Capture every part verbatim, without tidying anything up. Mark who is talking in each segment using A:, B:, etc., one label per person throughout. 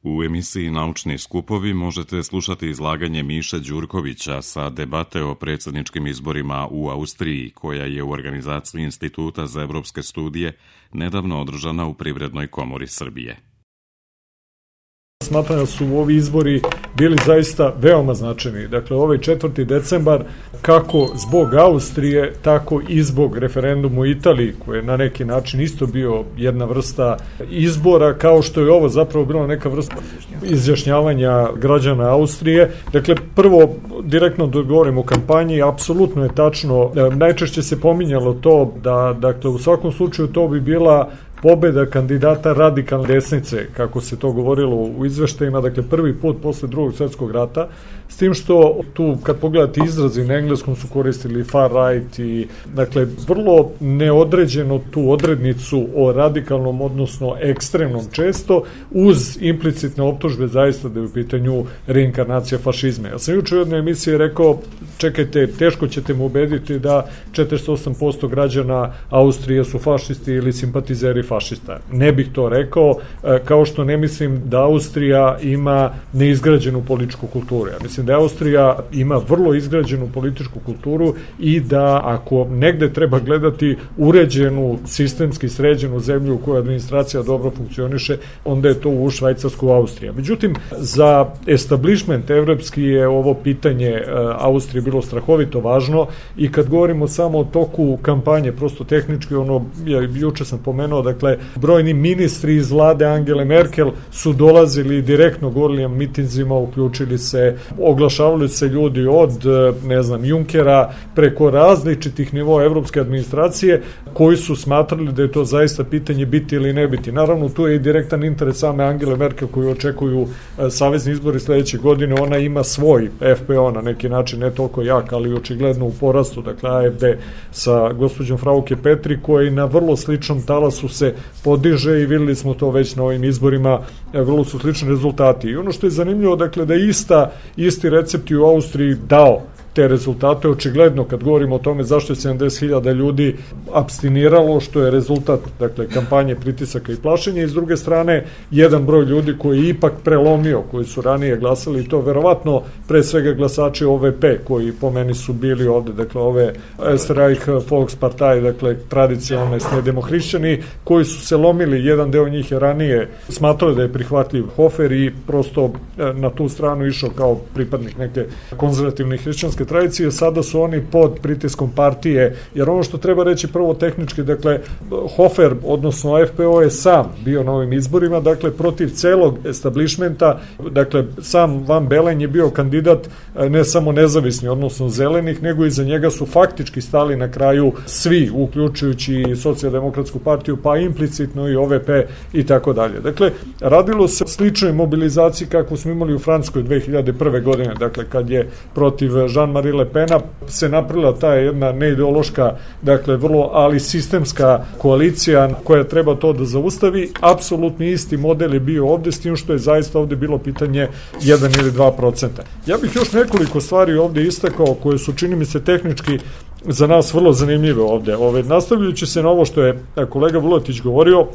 A: U emisiji Naučni skupovi možete slušati izlaganje Miše Đurkovića sa debate o predsjedničkim izborima u Austriji, koja je u organizaciji Instituta za evropske studije nedavno održana u Privrednoj komori Srbije.
B: Smatram da su ovi izbori bili zaista veoma značajni. Dakle, ovaj četvrti decembar, kako zbog Austrije, tako i zbog referenduma u Italiji, koji je na neki način isto bio jedna vrsta izbora, kao što je ovo zapravo bila neka vrsta izjašnjavanja građana Austrije. Dakle, prvo, direktno da govorim o kampanji, apsolutno je tačno, najčešće se pominjalo to da, dakle, u svakom slučaju to bi bila pobeda kandidata radikalne desnice, kako se to govorilo u izveštajima, dakle prvi put posle drugog svjetskog rata, s tim što tu kad pogledate izrazi na engleskom su koristili far right i dakle vrlo neodređeno tu odrednicu o radikalnom, odnosno ekstremnom često, uz implicitne optužbe zaista da je u pitanju reinkarnacija fašizma. Ja sam juče u jednoj emisiji rekao, čekajte, teško ćete mu ubediti da četrdeset osam posto građana Austrije su fašisti ili simpatizeri fašista. Ne bih to rekao, kao što ne mislim da Austrija ima neizgrađenu političku kulturu. Ja mislim da Austrija ima vrlo izgrađenu političku kulturu i da ako negde treba gledati uređenu, sistemski sređenu zemlju u kojoj administracija dobro funkcioniše, onda je to u Švajcarsku Austrija. Međutim, za establishment evropski je ovo pitanje Austrije bilo strahovito važno i kad govorimo samo o toku kampanje, prosto tehnički, ono, ja juče sam pomenuo, dakle, brojni ministri iz vlade Angele Merkel su dolazili direktno, govorili na mitinzima, uključili se, oglašavali se ljudi od, ne znam, Junkera preko različitih nivoa evropske administracije, koji su smatrali da je to zaista pitanje biti ili ne biti. Naravno, tu je i direktan interes same Angele Merkel koju očekuju savezni izbori sledeće godine. Ona ima svoj F P O na neki način, ne toliko jak, ali očigledno u porastu, dakle A F D sa gospođom Frauke Petri, koji na vrlo sličnom talasu se podiže i videli smo to već na ovim izborima, vrlo su slični rezultati. I ono što je zanimljivo, dakle, da je ista, isti recept u Austriji dao te rezultate, očigledno kad govorimo o tome zašto je sedamdeset hiljada ljudi apstiniralo, što je rezultat, dakle, kampanje pritisaka i plašenja, i s druge strane jedan broj ljudi koji je ipak prelomio, koji su ranije glasali, i to verovatno pre svega glasači O V P, koji po meni su bili ovde, dakle, ove Österreich Volkspartei, dakle, tradicionalne demohrišćani, koji su se lomili, jedan deo njih je ranije smatrali da je prihvatljiv Hofer i prosto na tu stranu išao kao pripadnik neke konzervativne hrišćanske tradicije. Sada su oni pod pritiskom partije, jer ono što treba reći prvo tehnički, dakle, Hofer, odnosno F P O je sam bio na ovim izborima, dakle, protiv celog establishmenta, dakle, sam Van Bellen je bio kandidat ne samo nezavisni, odnosno zelenih, nego i za njega su faktički stali na kraju svi, uključujući i socijaldemokratsku partiju, pa implicitno i O V P i tako dalje. Dakle, radilo se sličnoj mobilizaciji kako smo imali u Francuskoj dve hiljade prve godine, dakle, kad je protiv Jean-Marie Le Pena se napravila ta jedna neideološka, dakle, vrlo, ali sistemska koalicija koja treba to da zaustavi. Apsolutni isti model je bio ovde, s tim što je zaista ovde bilo pitanje jedan ili dva procenta. Ja bih još nekoliko stvari ovde istakao koje su, čini mi se, tehnički za nas vrlo zanimljive ovde. Ove, nastavljajući se na ovo što je kolega Vuletić govorio,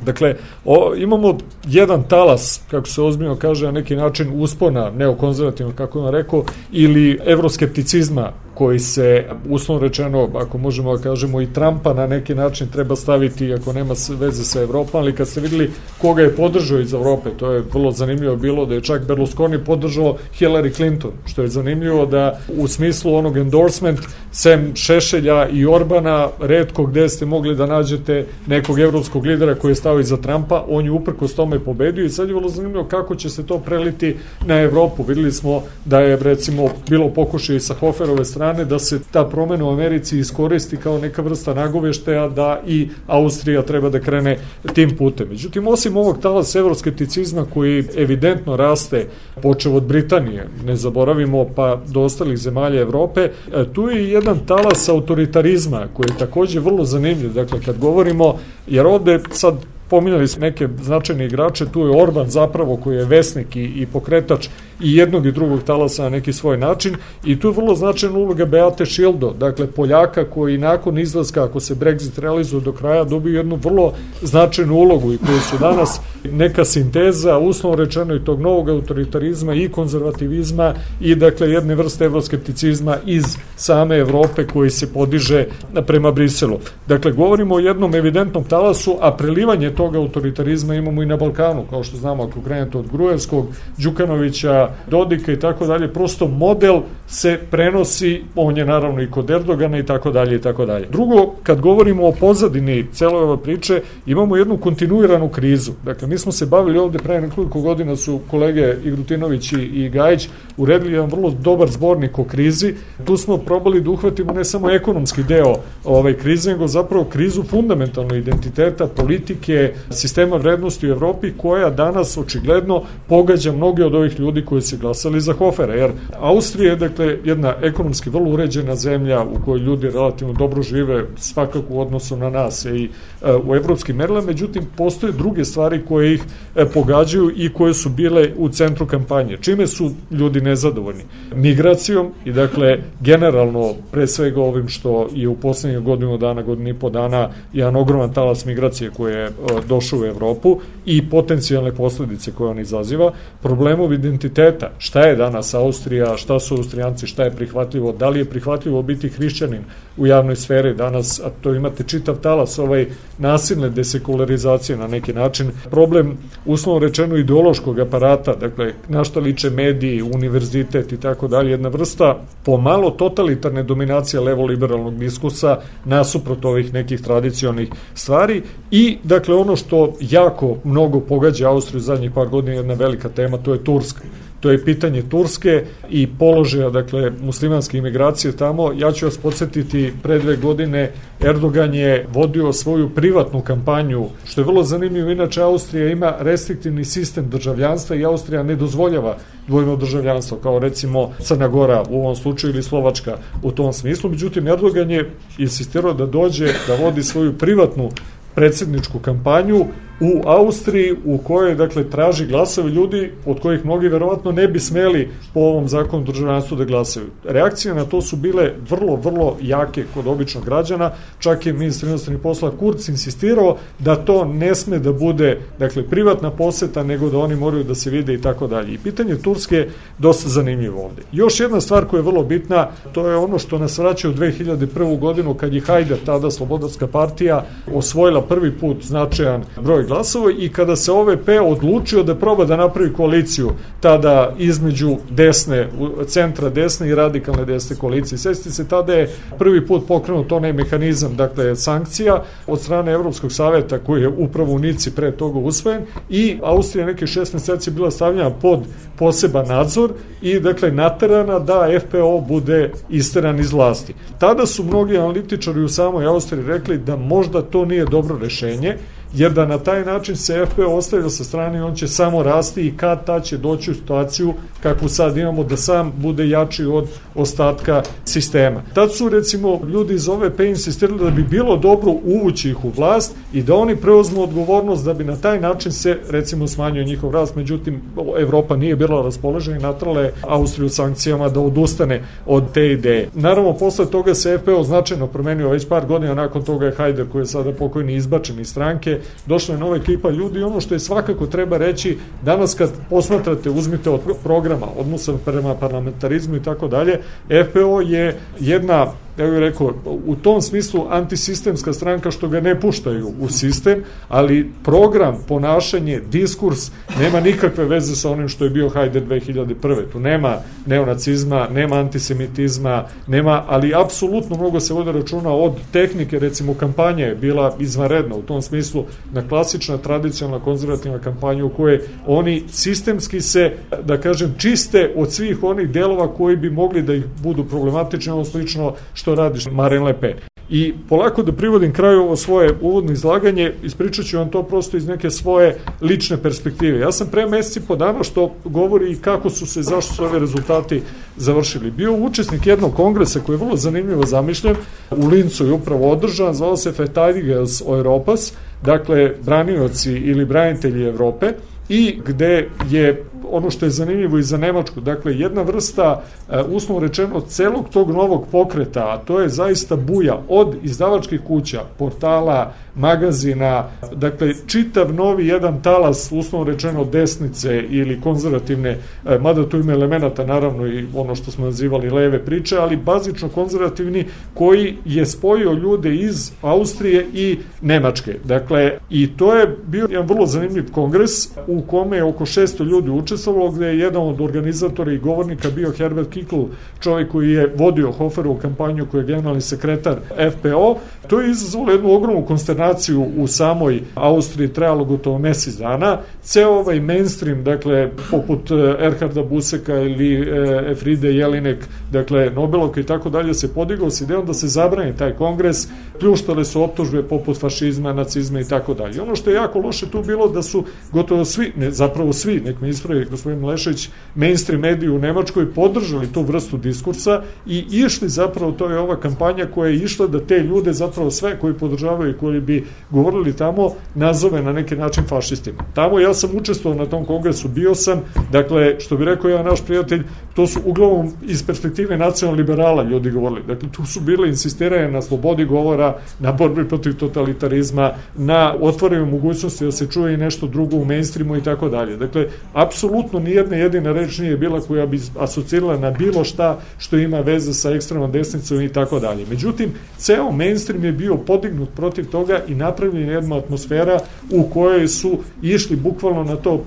B: dakle, o, imamo jedan talas, kako se ozbiljno kaže, na neki način uspona neokonzervativno, kako je on rekao, ili evroskepticizma koji se, uslovno rečeno, ako možemo da kažemo, i Trumpa na neki način treba staviti, ako nema veze sa Evropom, ali kad ste videli koga je podržao iz Evrope, to je vrlo zanimljivo bilo da je čak Berlusconi podržao Hillary Clinton, što je zanimljivo da u smislu onog endorsement, sem Šešelja i Orbana, retko gde ste mogli da nađete nekog evropskog lidera koji je stao iza Trumpa, on je uprkos tome pobedio i sad je vrlo zanimljivo kako će se to preliti na Evropu. Videli smo da je, recimo, bilo pokušaj sa Hoferove strane da se ta promena u Americi iskoristi kao neka vrsta nagoveštaja da i Austrija treba da krene tim putem. Međutim, osim ovog talasa evroskepticizma koji evidentno raste, počev od Britanije, ne zaboravimo, pa do ostalih zemalja Evrope, tu je jedan talas autoritarizma koji je takođe vrlo zanimljiv. Dakle, kad govorimo, jer ovde sad pominjali smo neke značajne igrače, tu je Orban zapravo koji je vesnik i, i pokretač i jednog i drugog talasa na neki svoj način i tu je vrlo značajna uloga Beate Schildo, dakle Poljaka koji nakon izlaska, ako se Brexit realizuje do kraja, dobiju jednu vrlo značajnu ulogu i koji su danas neka sinteza, uslovno rečeno i tog novog autoritarizma i konzervativizma i dakle jedne vrste evroskepticizma iz same Evrope koji se podiže prema Briselu. Dakle, govorimo o jednom evidentnom talasu, a prelivanje tog autoritarizma imamo i na Balkanu, kao što znamo, ako krenete od Gruevskog, Đukanovića, Dodika i tako dalje, prosto model se prenosi, on je naravno i kod Erdogana i tako dalje i tako dalje. Drugo, kad govorimo o pozadini cele ove priče, imamo jednu kontinuiranu krizu. Dakle, mi smo se bavili ovde pre nekoliko godina, su kolege Igrutinović i Gajić uredili jedan vrlo dobar zbornik o krizi. Tu smo probali da uhvatimo ne samo ekonomski deo ove krize, nego zapravo krizu fundamentalno identiteta, politike, sistema vrednosti u Evropi, koja danas očigledno pogađa mnoge od ovih ljudi koji se glasali za Hofera, jer Austrija je dakle jedna ekonomski vrlo uređena zemlja u kojoj ljudi relativno dobro žive, svakako u odnosu na nas i e, u evropskim merilima, međutim postoje druge stvari koje ih e, pogađaju i koje su bile u centru kampanje. Čime su ljudi nezadovoljni? Migracijom i dakle generalno pre svega ovim što je u poslednjih godinu dana, godinu i po dana jedan ogroman talas migracije koje je e, došao u Evropu i potencijalne posledice koje on izaziva, problemov identiteta, šta je danas Austrija, šta su Austrijanci, šta je prihvatljivo, da li je prihvatljivo biti hrišćanin u javnoj sferi danas, a to imate čitav talas ovaj nasilne desekularizacije na neki način, problem uslovno rečeno ideološkog aparata, dakle na šta liče mediji, univerzitet i tako dalje, jedna vrsta pomalo totalitarne dominacije levo-liberalnog diskursa nasuprot ovih nekih tradicionalnih stvari i dakle ono što jako mnogo pogađa Austriju zadnjih par godina, jedna velika tema, to je Turska. To je pitanje Turske i položaja, dakle, muslimanske imigracije tamo. Ja ću vas podsjetiti, pre dve godine Erdogan je vodio svoju privatnu kampanju, što je vrlo zanimljivo. Inače, Austrija ima restriktivni sistem državljanstva i Austrija ne dozvoljava dvojno državljanstvo, kao recimo Crna Gora u ovom slučaju ili Slovačka u tom smislu. Međutim, Erdogan je insistirao da dođe da vodi svoju privatnu predsjedničku kampanju u Austriji, u kojoj dakle traži glasove ljudi od kojih mnogi verovatno ne bi smeli po ovom zakonu državljanstvu da glasaju. Reakcije na to su bile vrlo, vrlo jake kod običnog građana, čak je ministar inostranih poslova Kurz insistirao da to ne sme da bude dakle privatna poseta, nego da oni moraju da se vide i tako dalje. I pitanje Turske je dosta zanimljivo ovde. Još jedna stvar koja je vrlo bitna, to je ono što nas vraća u dve hiljade prvu godinu, kad je Hajder, tada Slobodarska partija, osvojila prvi put značajan broj glasova i kada se O V P odlučio da proba da napravi koaliciju tada između desne, centra desne i radikalne desne koalicije. Sjetite se, tada je prvi put pokrenut onaj mehanizam, dakle sankcija od strane Evropskog saveta koji je upravo u Nici pre toga usvojen i Austrija neke šest meseci bila stavljena pod poseban nadzor i dakle naterana da F P O bude isteran iz vlasti. Tada su mnogi analitičari u samoj Austriji rekli da možda to nije dobro rešenje, jer da na taj način se F P O ostavlja sa strane i on će samo rasti i kad ta će doći u situaciju kakvu sad imamo da sam bude jači od ostatka sistema. Tad su recimo ljudi iz O V P insistirali da bi bilo dobro uvući ih u vlast i da oni preuzmu odgovornost da bi na taj način se recimo smanjio njihov rast, međutim Evropa nije bila raspoložena i natrala je Austriju sankcijama da odustane od te ideje. Naravno posle toga se F P O značajno promenio, već par godina nakon toga je Hajder koji je sada pokojni izbačen iz stranke, došla je nova ekipa ljudi i ono što je svakako treba reći, danas kad posmatrate, uzmite od programa, odnosa prema parlamentarizmu i tako dalje, F P O je jedna, ja bih rekao, u tom smislu antisistemska stranka što ga ne puštaju u sistem, ali program, ponašanje, diskurs nema nikakve veze sa onim što je bio Hajder dve hiljade prve. Tu nema neonacizma, nema antisemitizma, nema, ali apsolutno mnogo se vode računa od tehnike, recimo kampanja je bila izvanredna u tom smislu, na klasična, tradicionalna, konzervativna kampanja u kojoj oni sistemski se, da kažem, čiste od svih onih delova koji bi mogli da ih budu problematični, ono slično što radiš Marine Le Pen. I polako da privodim kraju ovo svoje uvodno izlaganje, ispričat ću vam to prosto iz neke svoje lične perspektive. Ja sam pre meseci po dana, što govori i kako su se, zašto su ove rezultati završili. Bio učesnik jednog kongresa koji je vrlo zanimljivo zamišljen, u Lincu je upravo održan, zvao se Verteidigers Europas, dakle, branioci ili branitelji Evrope, i gde je ono što je zanimljivo i za Nemačku, dakle jedna vrsta, uslovno rečeno, celog tog novog pokreta, a to je zaista buja od izdavačkih kuća, portala, magazina, dakle čitav novi jedan talas, uslovno rečeno, desnice ili konzervativne, mada tu ima elemenata naravno i ono što smo nazivali leve priče, ali bazično konzervativni, koji je spojio ljude iz Austrije i Nemačke. Dakle, i to je bio jedan vrlo zanimljiv kongres u kome je oko šesto ljudi učestvovalo, gde je jedan od organizatora i govornika bio Herbert Kickl, čovjek koji je vodio Hoferovu kampanju, koji je generalni sekretar F P O. To je izazvalo jednu ogromnu konsternaciju u samoj Austriji, trajalo gotovo mesec dana. Ceo ovaj mainstream, dakle, poput Erharda Buseka ili Efride Jelinek, dakle, Nobelovka i tako dalje, se podigao s idejom da se zabrani taj kongres, pljuštale su optužbe poput fašizma, nacizma i tako dalje. Ono što je jako loše tu bilo da su gotovo svi, ne, zapravo svi, nek me ispravi gospodin Lešević, mainstream mediji u Nemačkoj podržali tu vrstu diskursa i išli zapravo, to je ova kampanja koja je išla da te ljude, zapravo sve koji podržavaju i koji bi govorili tamo, nazove na neki način fašistima. Tamo ja sam učestvovao na tom kongresu, bio sam, dakle, što bi rekao ja naš prijatelj, to su uglavnom iz perspektive nacionalliberala ljudi govorili. Dakle, tu su bile insistiranje na slobodi govora, na borbi protiv totalitarizma, na otvaranju mogućnosti da se čuje i nešto drugo u mainstreamu i tako dalje. Dakle, apsolutno nijedna jedina reč nije bila koja bi asocirala na bilo šta što ima veze sa ekstremnom desnicom i tako dalje. Međutim, ceo mainstream je bio podignut protiv toga i napravljena jedna atmosfera u kojoj su išli bukvalno na to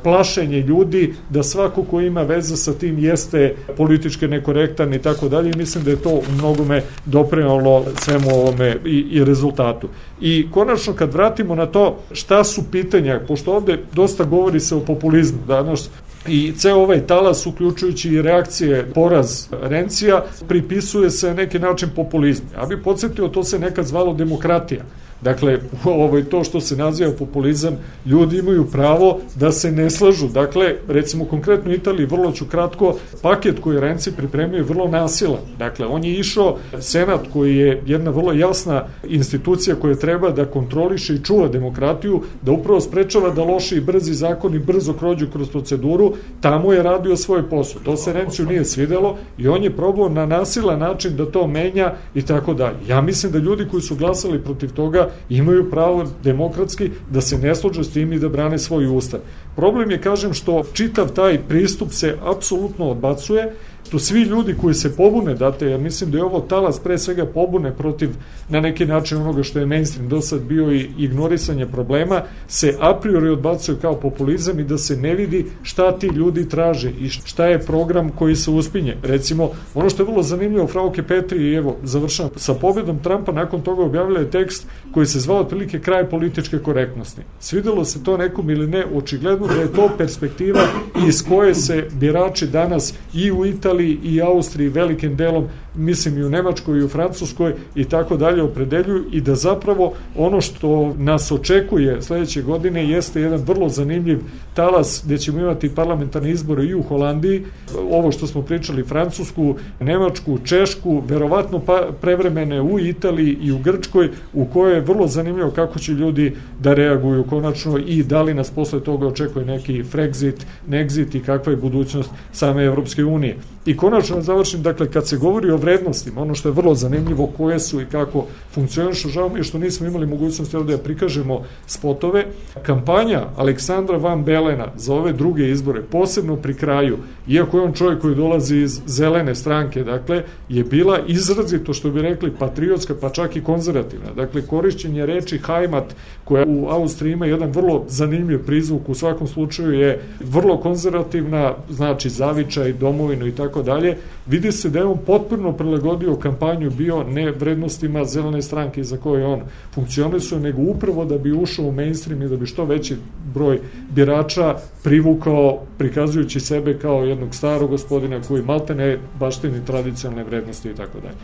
B: plašenje ljudi da svako ko ima veze sa tim jeste politički nekorektan i tako dalje, i mislim da je to u mnogome doprinalo svemu ovome i, i rezultatu. I konačno kad vratimo na to šta su pitanja, pošto ovde dosta govori se o populizmu danas, i ceo ovaj talas, uključujući i reakcije, poraz Rencija, pripisuje se na neki način populizmu. Ja bih podsjetio, to se nekad zvalo demokratija. Dakle, ovo je to što se naziva populizam, ljudi imaju pravo da se ne slažu. Dakle, recimo konkretno u Italiji, vrlo ću kratko, paket koji Renzi pripremio je vrlo nasilan. Dakle, on je išao, Senat koji je jedna vrlo jasna institucija koja treba da kontroliše i čuva demokratiju, da upravo sprečava da loši i brzi zakoni brzo prođu kroz proceduru, tamo je radio svoj posao. To se Renciju nije svidelo i on je probao na nasilan način da to menja i tako dalje. Ja mislim da ljudi koji su glasali protiv toga imaju pravo demokratski da se ne slože s tim i da brane svoj ustav. Problem je, kažem, što čitav taj pristup se apsolutno odbacuje, to svi ljudi koji se pobune, date, ja mislim da je ovo talas pre svega pobune protiv na neki način onoga što je mainstream do sad bio i ignorisanje problema, se a priori odbacuje kao populizam i da se ne vidi šta ti ljudi traže i šta je program koji se uspinje. Recimo, ono što je vrlo zanimljivo, Frauke Petri, i evo, završavam, sa pobjedom Trumpa nakon toga objavila je tekst koji se zvao otprilike kraj političke korektnosti. Svidelo se to nekom ili ne, očigledno da je to perspektiva iz koje se birači danas i u Italiji i Austriji velikim delom, mislim i u Nemačkoj i u Francuskoj i tako dalje opredeljuju, i da zapravo ono što nas očekuje sledeće godine jeste jedan vrlo zanimljiv talas gde ćemo imati parlamentarne izbore i u Holandiji, ovo što smo pričali, Francusku, Nemačku, Češku, verovatno pa prevremene u Italiji i u Grčkoj, u kojoj je vrlo zanimljivo kako će ljudi da reaguju konačno i da li nas posle toga očekuje neki Frexit, Nexit i kakva je budućnost same Evropske unije. I konačno završim, dakle, kad se govori o vrednostima, ono što je vrlo zanimljivo, koje su i kako funkcionišu, žao mi je što nismo imali mogućnosti ovde da prikažemo spotove, kampanja Aleksandra Van Belena za ove druge izbore, posebno pri kraju, iako je on čovjek koji dolazi iz zelene stranke, dakle, je bila izrazito, što bi rekli, patriotska, pa čak i konzervativna. Dakle, korišćenje reči Heimat, koja u Austriji ima jedan vrlo zanimljiv prizvuk, u svakom slučaju je vrlo konzervativna, znači zavičaj, domovinu i tako dalje, vidi se da je on potpuno prilagodio kampanju bio ne vrednostima zelene stranke za koje on funkcionisuje, nego upravo da bi ušao u mainstream i da bi što veći broj birača privukao, prikazujući sebe kao jednog starog gospodina koji maltene baštini tradicionalne vrednosti i tako dalje.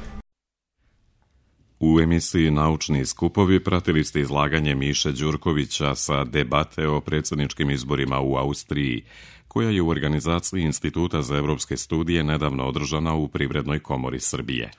A: U emisiji Naučni skupovi pratili ste izlaganje Miše Đurkovića sa debate o predsjedničkim izborima u Austriji, koja je u organizaciji Instituta za evropske studije nedavno održana u Privrednoj komori Srbije.